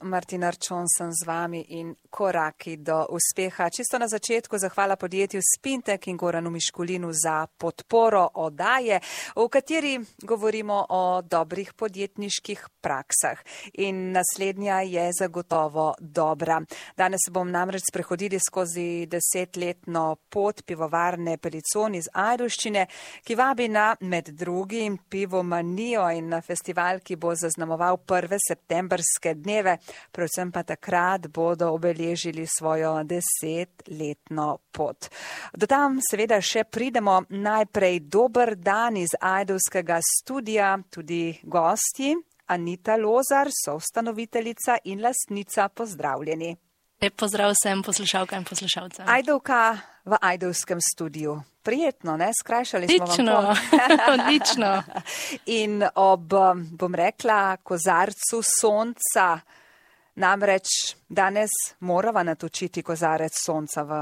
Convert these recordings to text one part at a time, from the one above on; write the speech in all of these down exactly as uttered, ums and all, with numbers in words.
Martina Arčon sem z vami in koraki do uspeha. Čisto na začetku zahvala podjetju Spintek in Goranu Miškulinu za podporo oddaje, v kateri govorimo o dobrih podjetniških praksah. In naslednja je zagotovo dobra. Danes bom namreč sprehodili skozi desetletno pot pivovarne Pelicon iz Ajdovščine, ki vabi na med drugim pivomanijo in na festival, ki bo zaznamoval prve septembrske dneve. Predvsem pa takrat bodo obeležili svojo desetletno pot. Do tam seveda še pridemo. Najprej dober dan iz ajdovskega studia, tudi gosti. Anita Lozar, soustanoviteljica in lastnica, pozdravljeni. Lep pozdrav vsem poslušalkam in poslušalcem. Ajdovka v ajdovskem studiu. Prijetno, ne? Skrajšali smo vam pot. Odlično. In ob, bom rekla, kozarcu sonca, namreč danes morava natočiti kozarec sonca v,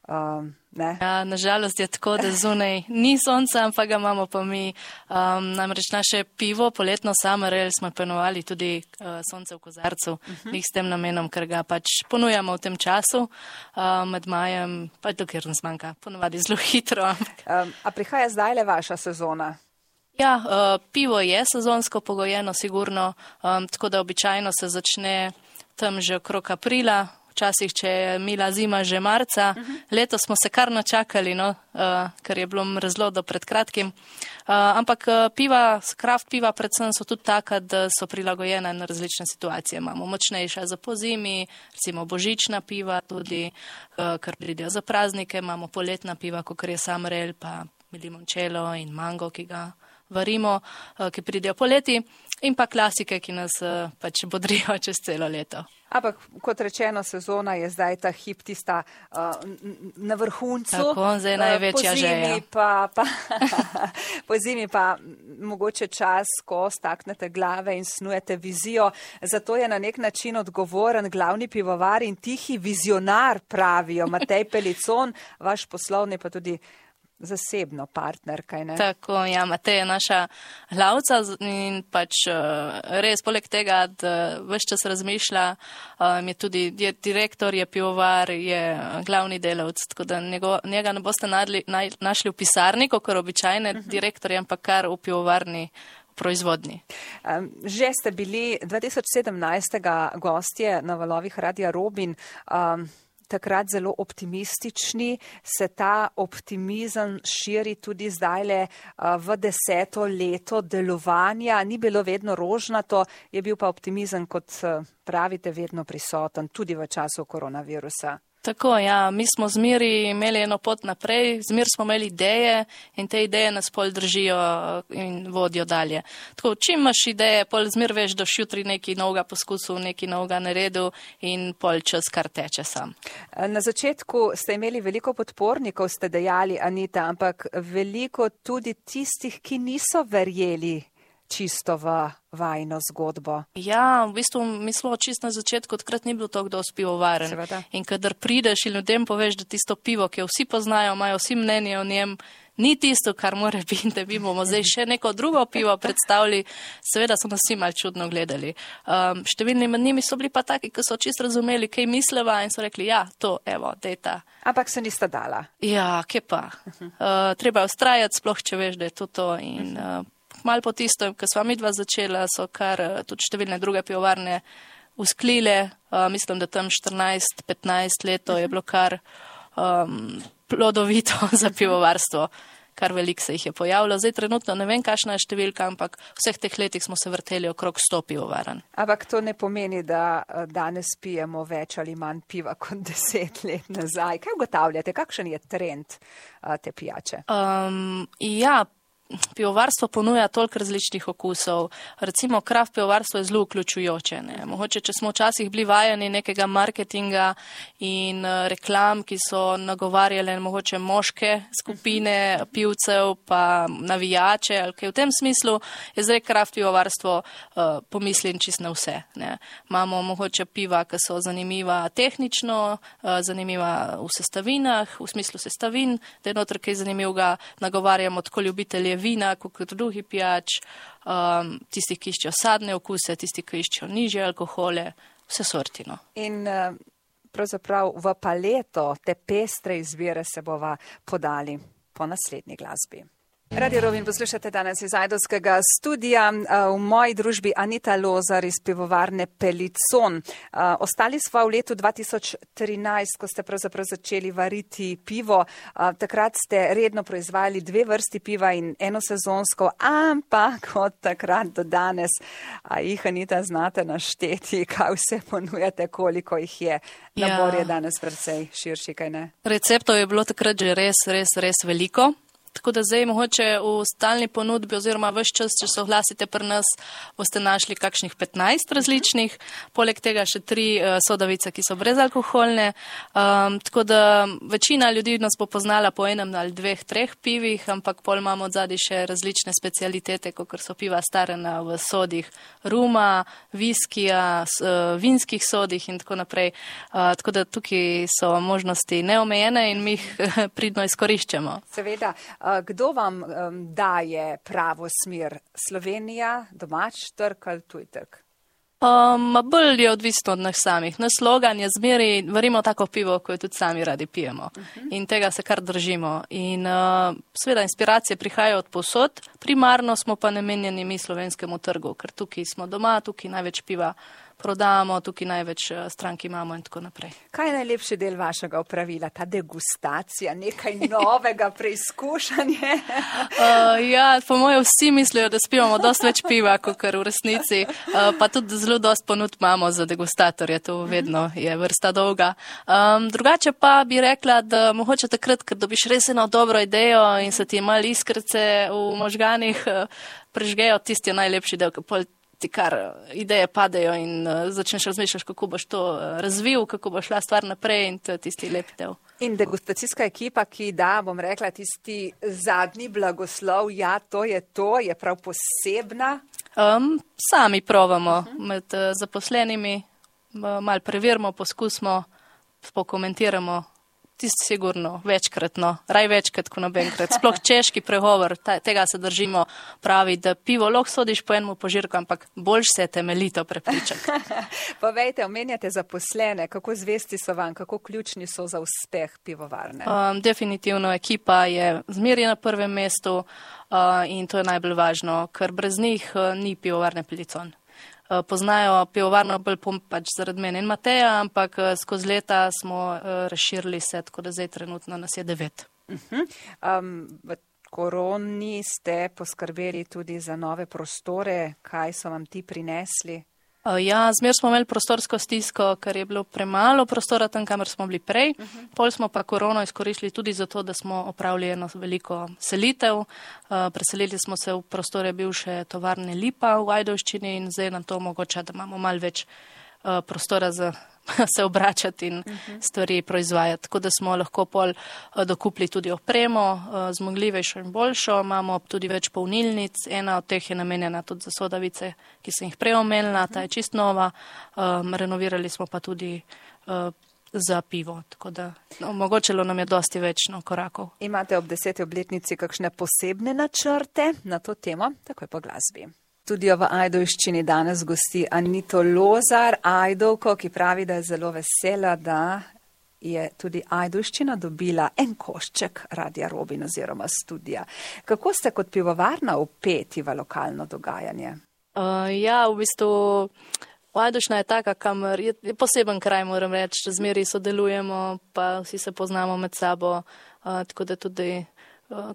um, ne? Ja, nažalost je tako, da zunaj ni sonca, ampak ga imamo pa mi. Um, namreč naše pivo, poletno Summer Ale, smo imenovali tudi uh, sonce v kozarcu. Uh-huh. Njih s tem namenom, ker ga pač ponujamo v tem času, uh, med majem, pa dokler nas manjka, ponovadi zelo hitro. Um, a prihaja zdaj le vaša sezona? Ja, uh, pivo je sezonsko pogojeno, sigurno, um, tako da običajno se začne tam že okrog aprila, včasih, če je mila zima, že marca. Uh-huh. Letos smo se kar načakali, no, uh, ker je bilo mrzlo do pred kratkim. Uh, ampak uh, piva, kraft piva predvsem so tudi taka, da so prilagojena na različne situacije. Imamo močnejša za pozimi, recimo božična piva tudi, uh, kar pridejo za praznike. Imamo poletna piva, kot je Summer Ale, pa limoncello in mango, ki ga varimo, uh, ki pridejo poleti. In pa klasike, ki nas uh, pač bodrijo čez celo leto. Ampak, kot rečeno, sezona je zdaj ta hip tista uh, na vrhuncu. Tako, zdaj največja uh, želja. Pa, pa, po zimi pa mogoče čas, ko staknete glave in snujete vizijo. Zato je na nek način odgovoren glavni pivovar in tihi vizionar, pravijo Matej Pelicon, vaš poslovni pa tudi zasebno partner, kaj ne? Tako, ja, Matej je naša glavca in pač res poleg tega, da ves čas razmišlja, je tudi je direktor, je pivovar, je glavni delavc, tako da njego, njega ne boste nadli, naj, našli v pisarni, kot običajne uh-huh. direktorje, ampak kar v pivovarni proizvodni. Um, že ste bili dva tisoč sedemnajstega gostje na valovih Radia Robin, um, takrat zelo optimistični, se ta optimizem širi tudi zdajle v deseto leto delovanja. Ni bilo vedno rožnato, je bil pa optimizem, kot pravite, vedno prisoten, tudi v času koronavirusa. Tako, ja, mi smo zmeri imeli eno pot naprej, zmer smo imeli ideje in te ideje nas pol držijo in vodijo dalje. Tako, čim imaš ideje, pol zmer veš, da jutri neki novega poskusil, neki novega naredil in pol čas kar teče sam. Na začetku ste imeli veliko podpornikov, ste dejali, Anita, ampak veliko tudi tistih, ki niso verjeli čisto v vajno zgodbo. Ja, v bistvu mislimo čisto na začetku, odkrat ni bilo to, kdo spivovaren. Seveda. In kadar prideš in ljudem poveš, da tisto pivo, ki jo vsi poznajo, imajo vsi mnenje o njem, ni tisto, kar mora biti, da bi bomo zdaj še neko drugo pivo predstavili, seveda so nas vsi mal čudno gledali. Um, številni med njimi so bili pa taki, ki so čisto razumeli, kaj misleva in so rekli, ja, to, evo, dejta. Ampak se nista dala. Ja, kje pa. Uh, treba je ustrajati, sploh če veš, da je to to in uh, malo po tisto, ko sva midva začela, so kar tudi številne druge pivovarne usklile. Uh, mislim, da tam štirinajst petnajst leto je bilo kar um, plodovito za pivovarstvo. Kar veliko se jih je pojavilo. Zdaj trenutno ne vem, kakšna je številka, ampak vseh teh letih smo se vrteli okrog sto pivovaran. Ampak to ne pomeni, da danes pijemo več ali manj piva kot deset let nazaj. Kaj ugotavljate? Kakšen je trend uh, te pijače? Um, ja, pivovarstvo ponuja toliko različnih okusov. Recimo, kraft pivovarstvo je zelo vključujoče. Ne? Mogoče, če smo včasih bili vajeni nekega marketinga in uh, reklam, ki so nagovarjale mogoče moške skupine pivcev, pa navijače, ali kaj v tem smislu, je zdaj kraft pivovarstvo uh, pomislim čist na vse. Ne? Imamo mogoče piva, ki so zanimiva tehnično, uh, zanimiva v sestavinah, v smislu sestavin, da je notri kaj zanimivega, nagovarjamo tako ljubitelje vina, kot drugi pijač, um, tisti, ki iščejo sadne okuse, tisti, ki iščejo nižje alkohole. vse sorti. No. In pravzaprav v paleto te pestre izbire se bova podali po naslednji glasbi. Radio Robin poslušate danes iz ajdovskega studija, v moji družbi Anita Lozar iz pivovarne Pelicon. Ostali smo v letu dva tisoč trinajst, ko ste pravzaprav začeli variti pivo. Takrat ste redno proizvajali dve vrsti piva in eno sezonsko, ampak od takrat do danes, a jih Anita znate našteti, kaj vse ponujate, koliko jih je. Nabor je danes precej širši, kaj ne? Receptov je bilo takrat že res, res, res veliko. Tako da zdaj mogoče v stalni ponudbi oziroma ves čas, če se oglasite pri nas, boste našli kakšnih petnajst različnih, poleg tega še tri uh, sodavice, ki so brezalkoholne. Um, tako da večina ljudi nas bo poznala po enem ali dveh, treh pivih, ampak pol imamo odzadaj še različne specialitete, kot so piva starena v sodih ruma, viskija, s, uh, vinskih sodih in tako naprej. Uh, tako da tukaj so možnosti neomejene in mi jih pridno izkoriščamo. Seveda. Kdo vam um, daje pravo smer? Slovenija, domač trg ali tuj trg? Um, bolj je odvisno od nas samih. Naš slogan je zmeri, varimo tako pivo, ko jo tudi sami radi pijemo. Uh-huh. In tega se kar držimo. In uh, seveda inspiracije prihajajo od povsod, primarno smo pa namenjeni mi slovenskemu trgu, ker tukaj smo doma, tukaj največ piva prodamo, tukaj največ strank imamo in tako naprej. Kaj je najlepši del vašega opravila? Ta degustacija, nekaj novega, preizkušanje? uh, ja, po mojem vsi mislijo, da spivamo dosti več piva, kot kar v resnici, uh, pa tudi zelo dosti ponud imamo za degustatorje, to vedno je vrsta dolga. Um, drugače pa bi rekla, da mogoče takrat, ker dobiš res eno dobro idejo in se ti malo iskrce v možganih uh, prežgejo, tisti je najlepši del, ker ti kar ideje padejo in uh, začneš razmišljati, kako boš to uh, razvil, kako bo šla stvar naprej in to je tisti lep del. In degustacijska ekipa, ki da, bom rekla, tisti zadnji blagoslov, ja, to je to, je prav posebna. Um, sami provamo uh-huh. med uh, zaposlenimi, uh, malo preverimo, poskusimo, pokomentiramo. Tisti sigurno, večkratno, raj večkrat, ko nobenkrat. Sploh češki pregovor, ta, tega se držimo, pravi, da pivo lahko sodiš po enemu požirku, ampak boljš se temeljito prepričati. Povejte, omenjate zaposlene, kako zvesti so vam, kako ključni so za uspeh pivovarne? Um, definitivno ekipa je zmeraj na prvem mestu uh, in to je najbolj važno, ker brez njih uh, ni pivovarne Pelicon. Poznajo pivovarno bolj pač zaradi mene in Mateja, ampak skozi leta smo uh, razširili se, tako da zdaj trenutno nas je devet. Uh-huh. Um, v koroni ste poskrbeli tudi za nove prostore, kaj so vam ti prinesli? Uh, ja, zmer smo imeli prostorsko stisko, ker je bilo premalo prostora tam, kamor smo bili prej. Uh-huh. Pol smo pa korono izkoristili tudi zato, da smo opravili eno veliko selitev. Uh, preselili smo se v prostore bivše tovarne Lipa v Ajdovščini in zdaj nam to omogoča, da imamo malo več uh, prostora za se obračati in uh-huh. stvari proizvajati. Tako da smo lahko pol uh, dokupili tudi opremo, uh, zmogljivejšo in boljšo. Imamo tudi več polnilnic, ena od teh je namenjena tudi za sodavice, ki sem jih prej omenila, uh-huh. ta je čist nova. Um, renovirali smo pa tudi uh, za pivo, tako da no, omogočilo nam je dosti več no, korakov. Imate ob deseti obletnici kakšne posebne načrte na to temo? Takoj po glasbi. Studio v Ajdovščini danes gosti Anito Lozar, Ajdovko, ki pravi, da je zelo vesela, da je tudi Ajdovščina dobila en košček Radia Robin oziroma studija. Kako ste kot pivovarna vpeti v lokalno dogajanje? Uh, ja, v bistvu Ajdovščina je taka, kamor je, je poseben kraj, moram reči, zmeri sodelujemo, pa vsi se poznamo med sabo, uh, tako da tudi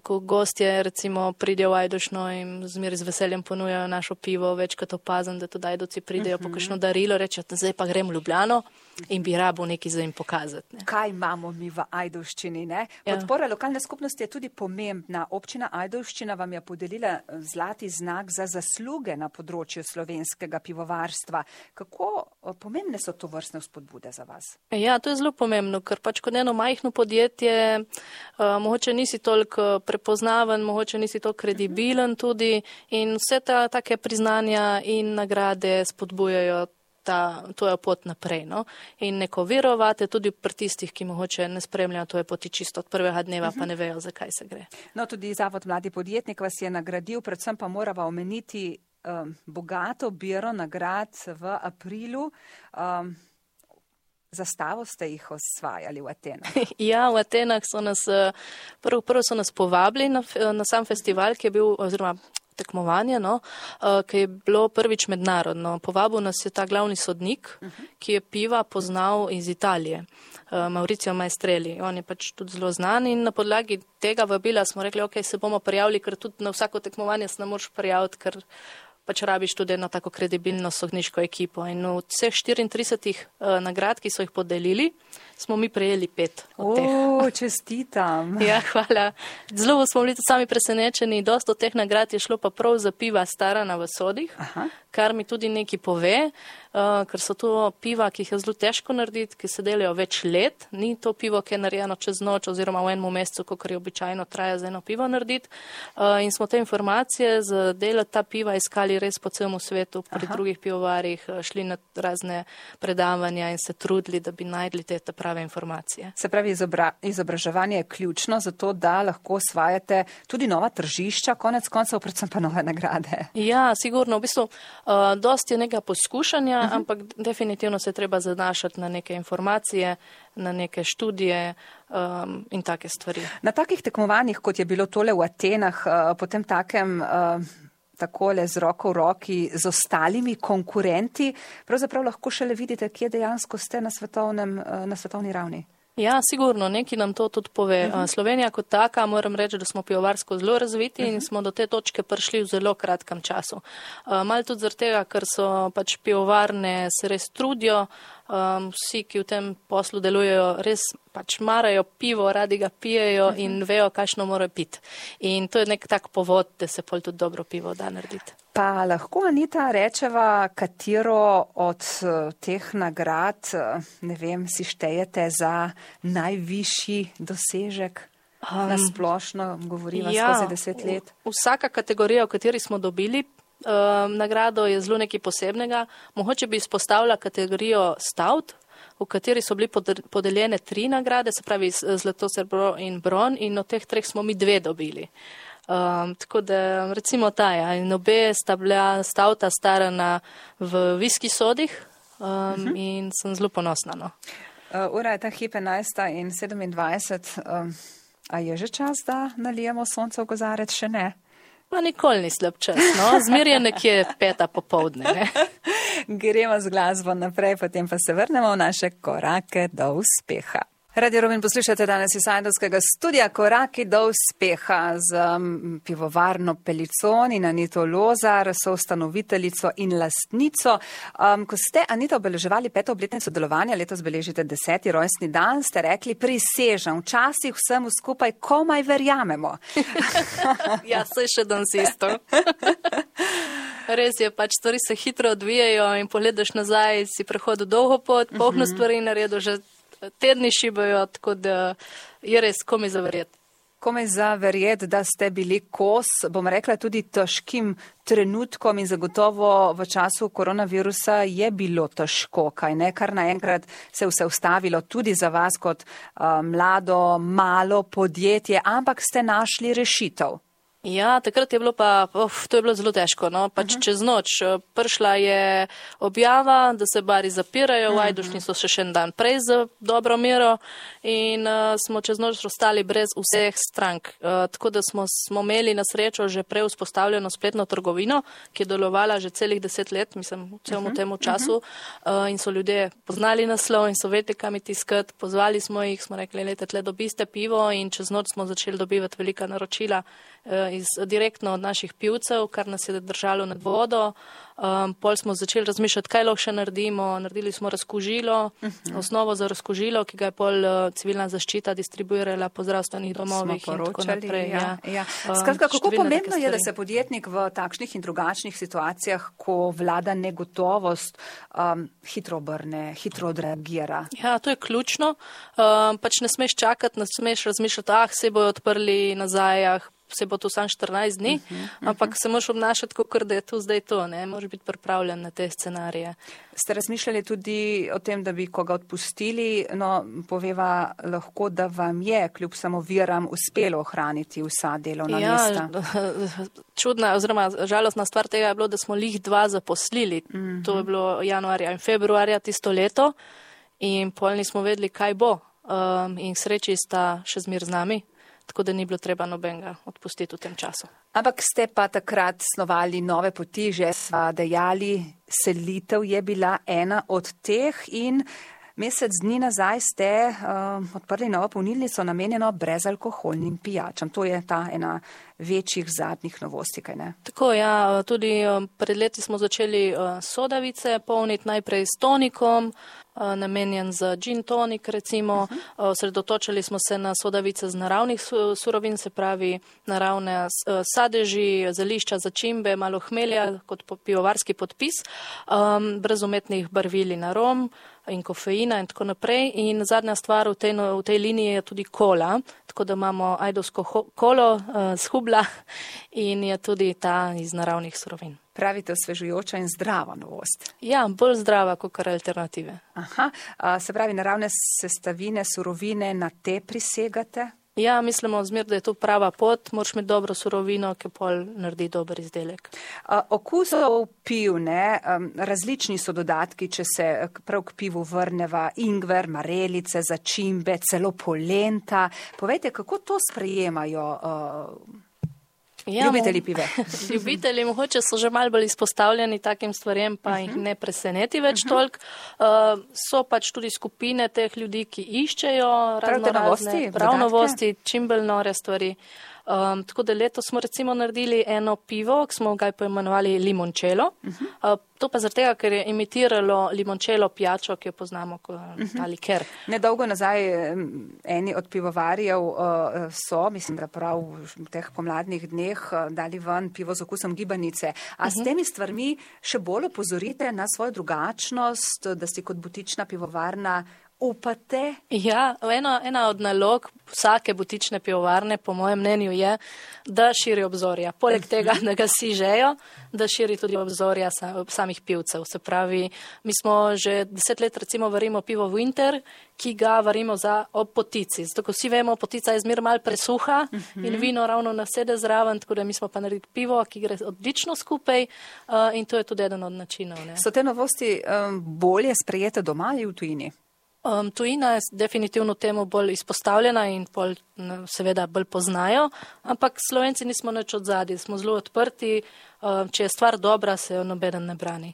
ko gostje recimo pridejo v Ajdovščino in zmeraj z veseljem ponujajo našo pivo, večkrat opazim, da tudi Ajdovci pridejo uh-huh. po kakšno darilo, rečejo, zdaj pa grem v Ljubljano in bi rabo nekaj za jim pokazati. Ne. Kaj imamo mi v Ajdovščini? Ne? Podpora ja. Lokalne skupnosti je tudi pomembna. Občina Ajdovščina vam je podelila zlati znak za zasluge na področju slovenskega pivovarstva. Kako pomembne so to vrstne vzpodbude za vas? Ja, to je zelo pomembno, ker pač kot eno majhno podjetje uh, mogoče nisi toliko prepoznaven, mogoče nisi to kredibilen tudi in vse ta take priznanja in nagrade spodbujajo ta, to je pot naprej. No? In neko verovate tudi pri tistih, ki mogoče ne spremljajo, to je poti čisto od prvega dneva, uh-huh. pa ne vejo, zakaj se gre. No, tudi Zavod Mladi podjetnik vas je nagradil, predvsem pa morava omeniti um, bogato biro nagrad v aprilu. Um, Zastavo ste jih osvajali v Atenah. Ja, v Atenah so nas, prvo, prvo so nas povabili na, na sam festival, ki je bil, oziroma tekmovanje, no, ki je bilo prvič mednarodno. Povabil nas je ta glavni sodnik, ki je piva poznal iz Italije, Mauricio Maestrelli. On je pač tudi zelo znan in na podlagi tega vabila smo rekli, ok, se bomo prijavili, ker tudi na vsako tekmovanje se ne moreš prijaviti, ker pač rabiš tudi eno tako kredibilno sodniško ekipo. In v vseh štiriintridesetih uh, nagrad, ki so jih podelili, smo mi prejeli pet od teh. O, čestitam. Ja, hvala. Zelo smo bili tudi sami presenečeni. Dosta od teh nagrad je šlo pa prav za piva starana v sodih, Aha. kar mi tudi nekaj pove, uh, ker so to piva, ki jih je zelo težko narediti, ki se delajo več let. Ni to pivo, ki je narejeno čez noč oziroma v enem mesecu, kot je običajno traja za eno pivo narediti. Uh, in smo te informacije z dela ta piva iskali res po celem svetu, pri Aha. drugih pivovarjih, šli na razne predavanja in se trudili, da bi najdli te, te prave informacije. Se pravi, izobra, izobraževanje je ključno za to, da lahko osvajate tudi nova tržišča, konec koncev predvsem pa nove nagrade. Ja, sigurno. V bistvu, uh, dosti je nekega poskušanja, uh -huh. ampak definitivno se treba zanašati na neke informacije, na neke študije um, in take stvari. Na takih tekmovanjih, kot je bilo tole v Atenah, uh, potem takem uh, takole z roko v roki z ostalimi konkurenti, pravzaprav lahko šele vidite, kje dejansko ste na, svetovnem, na svetovni ravni. Ja, sigurno, neki nam to tudi pove. Uh-huh. Slovenija kot taka, moram reči, da smo pivovarsko zelo razviti uh-huh. in smo do te točke prišli v zelo kratkem času. Uh, malo tudi zaradi tega, ker so pač pivovarne se res trudijo, um, vsi, ki v tem poslu delujejo, res pač marajo pivo, radi ga pijejo uh-huh. in vejo, kakšno morajo piti. In to je nek tak povod, da se pol tudi dobro pivo da narediti. Pa lahko, Anita, rečeva, katero od teh nagrad, ne vem, si štejete za najvišji dosežek? Um, Na splošno govoriva ja, skozi deset let. Vsaka kategorija, v kateri smo dobili um, nagrado, je zelo nekaj posebnega. Mogoče bi izpostavila kategorijo stout, v kateri so bili podeljene tri nagrade, se pravi zlato, srebro in bron, in od teh treh smo mi dve dobili. Um, tako da recimo ta, ja, in obe sta bila stauta starana v viski sodih um, uh-huh. in sem zelo ponosna. No. Uh, ura je ta hip enajsta in sedemindvajset. Um, a je že čas, da nalijemo sonce v kozarec? Še ne? Pa nikoli ni slab čas, no. Zmer je nekje peta popovdne. Ne? Gremo z glasbo naprej, potem pa se vrnemo v naše korake do uspeha. Radio Rovinj poslušate danes iz Ajdovskega studia Koraki do uspeha z um, pivovarno Pelicon in Anito Lozar, soustanoviteljico in lastnico. Um, ko ste, Anita, obeleževali peto obletnico delovanja, letos beležite deseti rojstni dan, ste rekli, prisežem, včasih vsemu skupaj komaj verjamemo. Ja, saj še danes isto. Res je, pač stvari se hitro odvijajo in pogledaš nazaj, si prehodil dolgo pot, polno stvari naredil, že tedni šibajo, tako da je res komaj za verjeti. Komaj za verjeti, da ste bili kos, bom rekla, tudi težkim trenutkom in zagotovo v času koronavirusa je bilo težko, kaj ne, kar naenkrat se vse ustavilo tudi za vas kot uh, mlado, malo podjetje, ampak ste našli rešitev. Ja, takrat je bilo pa, of, to je bilo zelo težko, no, pač uh-huh. čez noč. Prišla je objava, da se bari zapirajo, v uh-huh. Ajdušni so še še en dan prej za dobro mero in uh, smo čez noč ostali brez vseh strank. Uh, tako da smo, smo imeli na srečo že prej vzpostavljeno spletno trgovino, ki je delovala že celih deset let, mislim, v celom uh-huh. temu času uh, in so ljudje poznali naslov in so vedeli, kam iti iskat. Pozvali smo jih, smo rekli, lejte, tle dobiste pivo in čez noč smo začeli dobivati velika naročila Iz, direktno od naših pivcev, kar nas je držalo nad vodo. Um, pol smo začeli razmišljati, kaj lahko še naredimo. Naredili smo razkužilo, uh-huh. osnovo za razkužilo, ki ga je pol uh, civilna zaščita distribuirala po zdravstvenih domovih in tako naprej. Ja, ja. Ja. Skratka, kako pomembno je, da se podjetnik v takšnih in drugačnih situacijah, ko vlada negotovost, um, hitro obrne, hitro odreagira? Ja, to je ključno. Um, pač ne smeš čakati, ne smeš razmišljati, ah, se bojo odprli nazaj, ah, se bo to sam štirinajst dni, uh -huh, uh -huh. ampak se moraš obnašati, kot da je to zdaj to, ne, moraš biti pripravljen na te scenarije. Ste razmišljali tudi o tem, da bi koga odpustili, no, poveva lahko, da vam je kljub samoviram uspelo ohraniti vsa delovna ja, mesta? Čudna oziroma žalostna stvar tega je bilo, da smo lih dva zaposlili. Uh -huh. To je bilo januarja in februarja tisto leto in pol nismo vedeli, kaj bo. Um, in sreči sta še zmer z nami, tako da ni bilo treba nobenega odpustiti v tem času. Ampak ste pa takrat snovali nove poti, že sva dejali, selitev je bila ena od teh in mesec dni nazaj ste uh, odprli novo polnilnico namenjeno brezalkoholnim pijačam. To je ta ena večjih zadnjih novosti, kaj ne? Tako, ja, tudi um, pred leti smo začeli uh, sodavice polniti najprej s tonikom, namenjen za gin tonik, recimo. Osredotočili uh-huh. smo se na sodavice z naravnih surovin, se pravi naravne sadeži, zelišča, začimbe, malo hmelja kot pivovarski podpis, um, brez umetnih barvil in arom in kofeina in tako naprej. In zadnja stvar v tej, v tej liniji je tudi kola, tako da imamo ajdovsko kolo uh, z Hubla in je tudi ta iz naravnih surovin. Pravite, osvežujoča in zdrava novost. Ja, bolj zdrava kot alternative. Aha, a, se pravi, naravne sestavine, surovine, na te prisegate? Ja, mislimo zmer, da je to prava pot, moraš imeti dobro surovino, ki pol naredi dober izdelek. A, okusov piv, ne, um, različni so dodatki, če se prav k pivu vrneva, ingver, marelice, začimbe, celo polenta. Povejte, kako to sprejemajo uh, Ja, ljubitelji pive. Ljubitelji mogoče so že malo bolj izpostavljeni takim stvarem, pa uh-huh. jih ne preseneti več uh-huh. toliko. Uh, so pač tudi skupine teh ljudi, ki iščejo razno razne prav novosti, čim bolj nore stvari. Um, tako da letos smo recimo naredili eno pivo, ki smo ga poimenovali limoncello. Uh-huh. Uh, to pa zaradi tega, ker je imitiralo limoncello pijačo, ki jo poznamo kot uh-huh. ta liker. Nedolgo nazaj eni od pivovarjev uh, so, mislim, da prav v teh pomladnih dneh uh, dali ven pivo z okusom gibanice. A uh-huh. s temi stvarmi še bolj opozorite na svojo drugačnost, da si kot butična pivovarna upate? Ja, ena, ena od nalog vsake butične pivovarne, po mojem mnenju, je, da širi obzorja. Poleg tega, da ga si žejo, da širi tudi obzorja samih pivcev. Se pravi, mi smo že deset let recimo varimo pivo Winter, ki ga varimo za ob potici. Zato, ko vsi vemo, potica je zmer mal presuha uh-huh. in vino ravno nasede zraven, tako da mi smo pa naredili pivo, ki gre odlično skupaj uh, in to je tudi eden od načinov. Ne. So te novosti um, bolje sprejete doma ali v tujini? Um, tujina je definitivno temu bolj izpostavljena in bolj, seveda bolj poznajo, ampak Slovenci nismo nič odzadaj, smo zelo odprti, um, če je stvar dobra, se jo nobeden ne brani.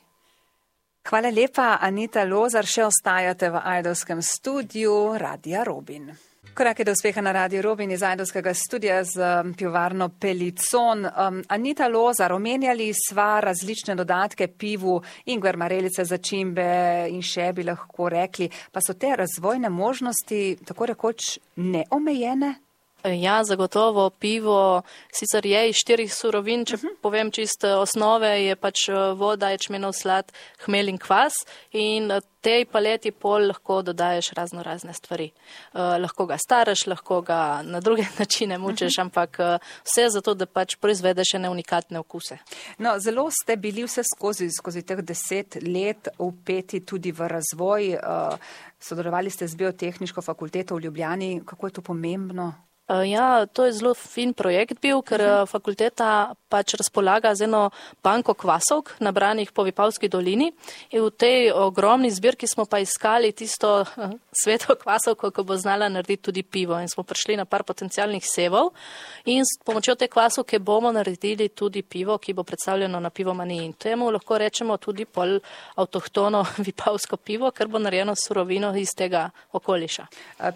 Hvala lepa, Anita Lozar, še ostajate v ajdovskem studiu Radia Robin. Korake do uspeha na Radiu Robin iz ajdovskega studija z pivovarno Pelicon. Um, Anita Lozar, omenjali sva različne dodatke pivu, ingver, marelice, začimbe in še bi lahko rekli, pa so te razvojne možnosti tako rekoč neomejene? Ja, zagotovo pivo sicer je iz štirih surovin, če uh-huh. povem čisto osnove, je pač voda, ječmenov slad, hmelj in kvas in tej paleti pol lahko dodaješ razno razne stvari. Uh, lahko ga staraš, lahko ga na druge načine mučeš, uh-huh. ampak uh, vse zato, da pač proizvedeš ene unikatne okuse. No, zelo ste bili vse skozi, skozi teh deset let vpeti tudi v razvoj. Uh, sodelovali ste z Biotehniško fakulteto v Ljubljani. Kako je to pomembno? Ja, to je zelo fin projekt bil, ker uh-huh. fakulteta pač razpolaga z eno banko kvasovk nabranih po Vipavski dolini in v tej ogromni zbirki smo pa iskali tisto uh, sveto kvasovko, ko bo znala narediti tudi pivo in smo prišli na par potencialnih sevov in s pomočjo te kvasovke bomo naredili tudi pivo, ki bo predstavljeno na pivomaniji in temu lahko rečemo tudi pol avtohtono vipavsko pivo, ker bo narejeno surovino iz tega okoliša.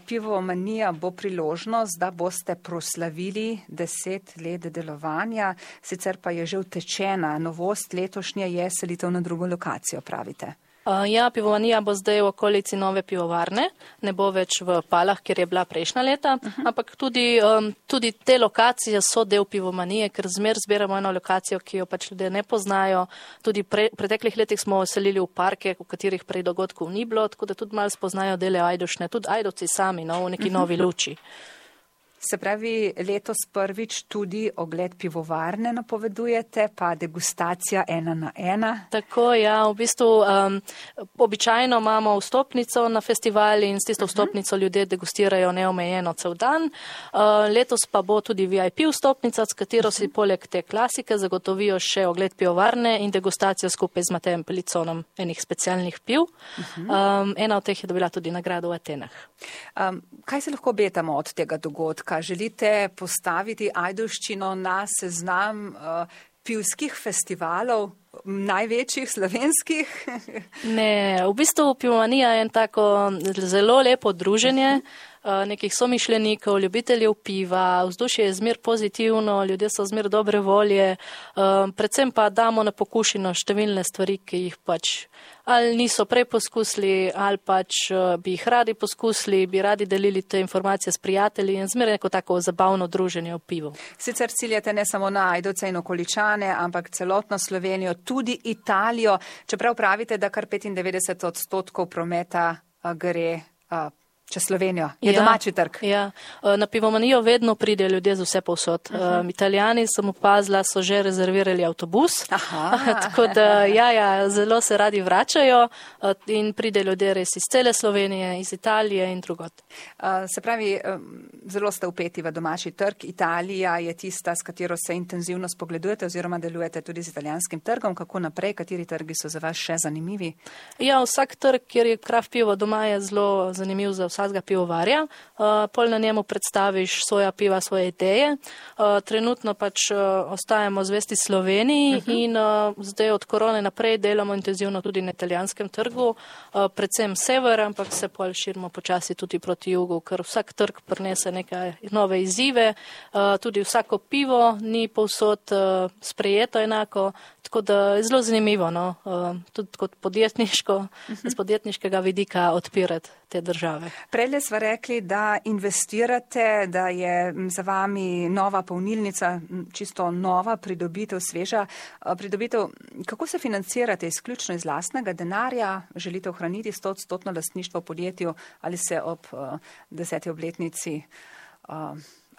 Pivomanija bo priložnost, da boste proslavili deset let delovanja, sicer pa je že utečena. Novost letošnje je selitev na drugo lokacijo, pravite. Uh, ja, pivomanija bo zdaj v okolici nove pivovarne, ne bo več v Palah, kjer je bila prejšnja leta, uh-huh. ampak tudi, um, tudi te lokacije so del pivomanije, ker zmer zbiramo eno lokacijo, ki jo pač ljudje ne poznajo. Tudi pre, preteklih letih smo selili v parke, v katerih prej dogodkov ni bilo, tako da tudi malo spoznajo dele Ajdošne, tudi Ajdovci sami, no, v neki uh-huh. novi luči. Se pravi, letos prvič tudi ogled pivovarne napovedujete, pa degustacija ena na ena. Tako, ja, v bistvu um, običajno imamo vstopnico na festivali in s tisto vstopnico ljudje degustirajo neomejeno cel dan. Uh, letos pa bo tudi V I P vstopnica, s katero si poleg te klasike zagotovijo še ogled pivovarne in degustacijo skupaj z Matejem Peliconom enih specialnih piv. Um, ena od teh je dobila tudi nagrado v Atenah. Um, kaj se lahko obetamo od tega dogodka? Želite postaviti Ajdovščino na seznam uh, pivskih festivalov, največjih slovenskih? Ne, v bistvu pivomanija je en tako zelo lepo druženje nekih somišljenikov, ljubiteljev piva, vzdušje je zmer pozitivno, ljudje so zmer dobre volje, predvsem pa damo na pokušino številne stvari, ki jih pač ali niso prej poskusili, ali pač bi jih radi poskusili, bi radi delili te informacije s prijatelji in zmer neko tako zabavno druženje v pivu. Sicer ciljate ne samo na Ajdovce in okoličane, ampak celotno Slovenijo, tudi Italijo, čeprav pravite, da kar petindevetdeset odstotkov prometa gre čez Slovenijo. Je ja, domači trg. Ja. Na pivomanijo vedno pride ljudje z vse povsod. Uh -huh. um, Italijani, sem opazila, so že rezervirali avtobus. Tako da ja, ja, zelo se radi vračajo in pride ljudje res iz cele Slovenije, iz Italije in drugot. Uh, se pravi, zelo ste upeti v domači trg. Italija je tista, s katero se intenzivno spogledujete oziroma delujete tudi z italijanskim trgom. Kako naprej? Kateri trgi so za vas še zanimivi? Ja, vsak trg, kjer je kraft pivo doma, je zelo zanimiv za vsakega pivovarja. Uh, pol na njemu predstaviš svoja piva, svoje ideje. Uh, trenutno pač uh, ostajamo zvesti Sloveniji uh -huh. in uh, zdaj od korone naprej delamo intenzivno tudi na italijanskem trgu, uh, predvsem sever, ampak se pol širimo počasi tudi proti jugu, ker vsak trg prinese neke nove izzive, uh, tudi vsako pivo ni povsod uh, sprejeto enako, tako da je zelo zanimivo, no? uh, tudi kot podjetniško, uh -huh. z podjetniškega vidika odpirati te države. Prejle sva rekli, da investirate, da je za vami nova polnilnica, čisto nova pridobitev, sveža pridobitev. Kako se financirate? Izključno iz lastnega denarja? Želite ohraniti stoodstotno lastništvo v podjetju ali se ob uh, deseti obletnici uh,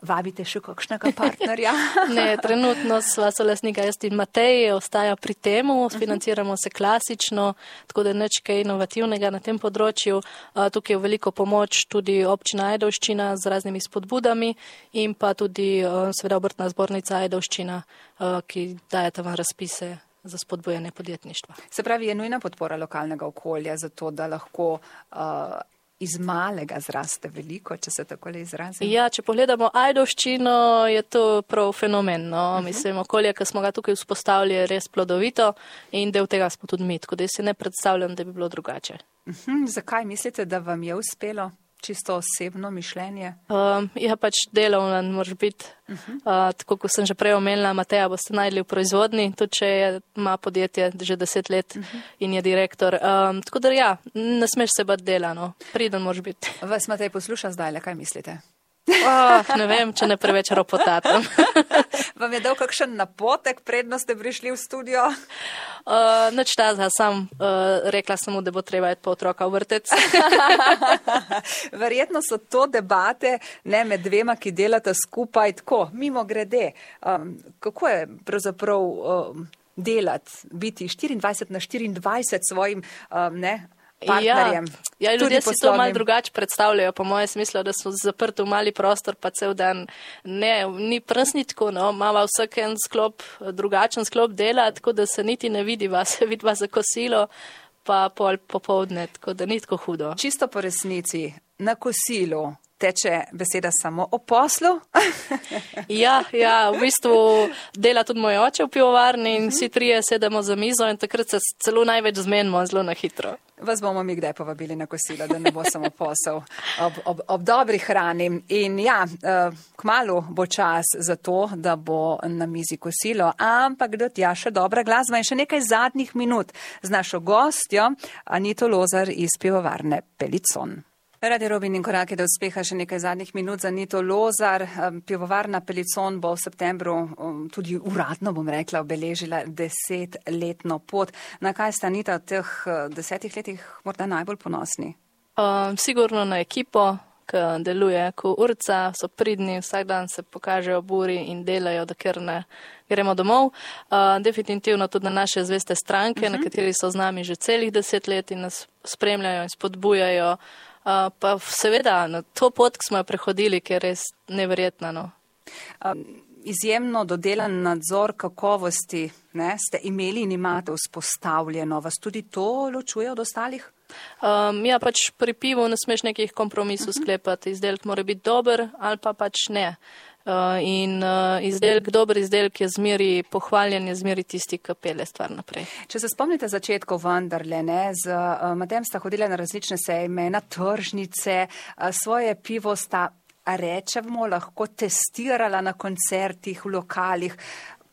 vabite še kakšnega partnerja? Ne, trenutno sva solastnika jaz in Matej, ostaja pri temu, financiramo se klasično, tako da je nič kaj inovativnega na tem področju. Tukaj je veliko pomoč tudi občina Ajdovščina z raznimi spodbudami in pa tudi seveda obrtna zbornica Ajdovščina, ki daje tam razpise za spodbujanje podjetništva. Se pravi, je nujna podpora lokalnega okolja za to, da lahko uh, iz malega zraste veliko, če se takole izrazim? Ja, če pogledamo Ajdovščino, je to prav fenomen. No? Uh -huh. Mislim, okolje, ki smo ga tukaj vzpostavili, je res plodovito in del tega smo tudi mi, tako da si ne predstavljam, da bi bilo drugače. Uh -huh. Zakaj mislite, da vam je uspelo? Čisto osebno mišljenje? Um, ja, pač delovno moraš biti. Uh -huh. uh, tako, kot sem že prej omenila, Mateja boste najdli v proizvodni, tudi če je, ima podjetje že deset let uh -huh. in je direktor. Um, tako da ja, ne smeš se bati dela, no. Priden moraš biti. Vas Matej posluša zdaj, kaj mislite? Oh, ne vem, če ne preveč ropotatam. Vam je dal kakšen napotek, predno ste prišli v studio? Uh, Nič tazga, sam uh, rekla sem mu, da bo treba iti po otroka v vrtec. Verjetno so to debate ne med dvema, ki delata skupaj tako, mimo grede. Um, kako je pravzaprav um, delati, biti štiriindvajset na štiriindvajset svojim um, ne, partnerjem? Ja, ja, ljudje si to malo drugače predstavljajo, po mojem smislu, da so zaprti v mali prostor, pa cel dan. Ne, ni prsnitko, no, imava vsak en sklop, drugačen sklop dela, tako da se niti ne vidiva, se vidiva za kosilo, pa pol popovdne, tako da ni tako hudo. Čisto po resnici, na kosilu teče beseda samo o poslu? Ja, ja, v bistvu dela tudi moj oče v pivovarni in vsi trije sedemo za mizo in takrat se celo največ zmenimo zelo na hitro. Vas bomo mi kdaj povabili na kosilo, da ne bo samo posel ob, ob, ob dobri hrani. In ja, kmalu bo čas za to, da bo na mizi kosilo, ampak do tja še dobra glasba in še nekaj zadnjih minut z našo gostjo Anito Lozar iz pivovarne Pelicon. Radio Robin in koraki do uspeha, še nekaj zadnjih minut za Anito Lozar. Pivovarna Pelicon bo v septembru tudi uradno, bom rekla, obeležila desetletno pot. Na kaj sta Anita v teh desetih letih morda najbolj ponosni? Um, sigurno na ekipo, ki deluje kot urca, so pridni, vsak dan se pokažejo buri in delajo, da ker ne gremo domov. Uh, definitivno tudi na naše zveste stranke, uh-huh. na kateri so z nami že celih deset let in nas spremljajo in spodbujajo. Uh, pa seveda, na to pot, ki smo jo prehodili, ki je res neverjetna. No. Um, izjemno dodelan nadzor kakovosti, ne, ste imeli in imate vzpostavljeno. Vas tudi to ločuje od ostalih? Um, ja, pač pri pivu ne smeš nekih kompromisov uh-huh. sklepati. Izdelek mora biti dober ali pa pač ne. Uh, in uh, izdelek, dober izdelek je zmeri pohvaljen, je zmeri tisti, ki pelje stvar naprej. Če se spomnite začetkov vendarle, ne, z uh, Matejem sta hodila na različne sejme, na tržnice, uh, svoje pivo sta, rečemo, lahko testirala na koncertih, v lokalih.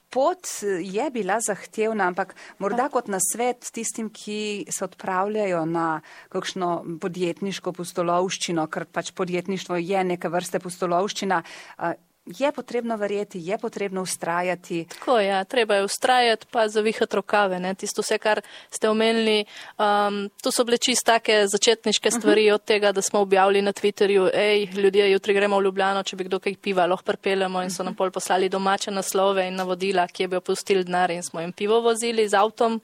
Pot je bila zahtevna, ampak morda kot nasvet tistim, ki se odpravljajo na kakšno podjetniško pustolovščino, ker pač podjetništvo je neke vrste pustolovščina, uh, je potrebno verjeti, je potrebno ustrajati. Tako je, ja, treba je ustrajati, pa zavihati rokave. Ne? Tisto vse, kar ste omenili, um, to so bile čisto take začetniške stvari uh-huh. od tega, da smo objavili na Twitterju, ej, ljudje, jutri gremo v Ljubljano, če bi kdo kaj piva, lahko pripeljemo in so nam pol poslali domače naslove in navodila, kje bi opustili denar in smo jim pivo vozili z avtom.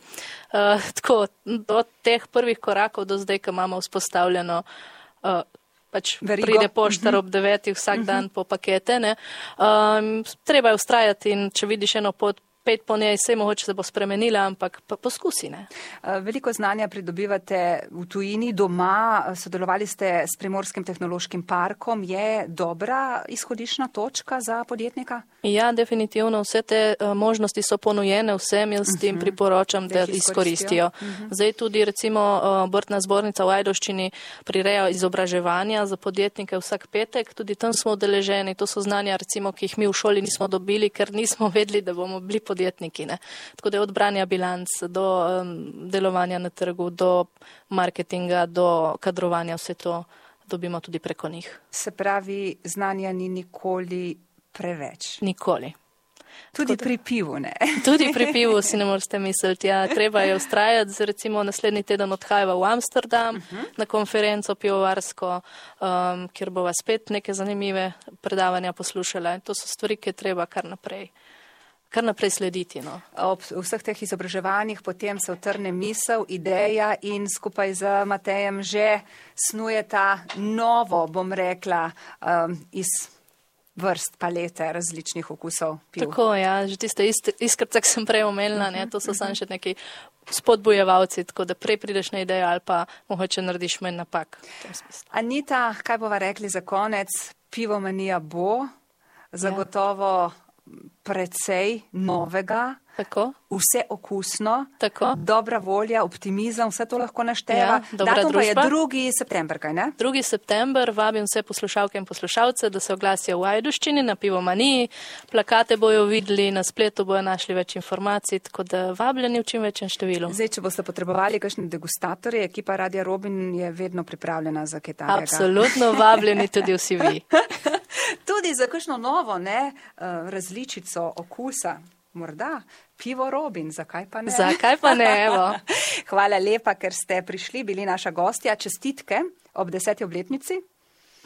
Uh, tako, od teh prvih korakov do zdaj, ko imamo vzpostavljeno uh, pač Verigo. Pride poštar ob devetih vsak dan po pakete. Ne. Um, treba je ustrajati in če vidiš eno pot, pet po njej, sej mogoče se bo spremenila, ampak pa poskusi. Ne. Veliko znanja pridobivate v tujini, doma, sodelovali ste s Primorskim tehnološkim parkom. Je dobra izhodišna točka za podjetnika? Ja, definitivno. Vse te uh, možnosti so ponujene vsem, jaz s tem uh-huh. priporočam, da jih izkoristijo. Uh-huh. Zdaj tudi recimo uh, Obrtna zbornica v Ajdovščini prireja izobraževanja za podjetnike vsak petek, tudi tam smo udeleženi. To so znanja, recimo, ki jih mi v šoli nismo dobili, ker nismo vedeli, da bomo bili podjetniki. Ne. Tako da je od branja bilanc do um, delovanja na trgu, do marketinga, do kadrovanja, vse to dobimo tudi preko njih. Se pravi, znanja ni nikoli preveč. Nikoli. Tudi pri pivu, ne? Tudi pri pivu si ne morete misliti. Ja, treba je ustrajati. Recimo naslednji teden odhajava v Amsterdam uh-huh. na konferenco pivovarsko, um, kjer bova spet neke zanimive predavanja poslušala. In to so stvari, ki je treba kar naprej. kar naprej slediti. No. Ob vseh teh izobraževanjih potem se utrne misel, ideja in skupaj z Matejem že snujeta novo, bom rekla, um, iz vrst palete različnih okusov piv. Tako, ja, že tiste iskrce, ki sem prej omenila, ne, to so samo še neki spodbujevalci, tako da prej prideš na idejo ali pa mogoče narediš manj napak. Anita, kaj bova rekli za konec? Pivomanija bo zagotovo precej novega, tako. Vse okusno, tako. Dobra volja, optimizem, vse to lahko našteva. Ja, datum pa je drugi september, kaj ne? drugi september, vabim vse poslušalke in poslušalce, da se oglasijo v Ajdovščini na Pivomaniji. Plakate bojo videli, na spletu bojo našli več informacij, tako da vabljeni v čim večjem številu. Zdaj, če boste potrebovali kakšne degustatorje, ekipa Radia Robin je vedno pripravljena za kaj takega. Absolutno vabljeni tudi vsi vi. Tudi za kakšno novo, ne, različico okusa. Morda pivo Robin, zakaj pa ne? Zakaj pa ne, evo. Hvala lepa, ker ste prišli, bili naša gostja. Čestitke ob deseti obletnici.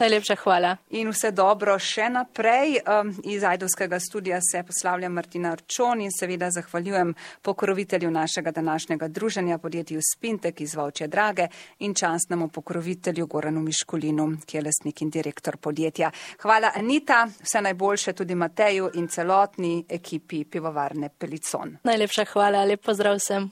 Najlepša hvala. In vse dobro še naprej. Um, iz Ajdovskega studia se poslavljam Martina Arčon in seveda zahvaljujem pokrovitelju našega današnjega druženja, podjetju Spintek iz Volčje Drage in častnemu pokrovitelju Goranu Miškulinu, ki je lastnik in direktor podjetja. Hvala Anita, vse najboljše tudi Mateju in celotni ekipi pivovarne Pelicon. Najlepša hvala, lep pozdrav vsem.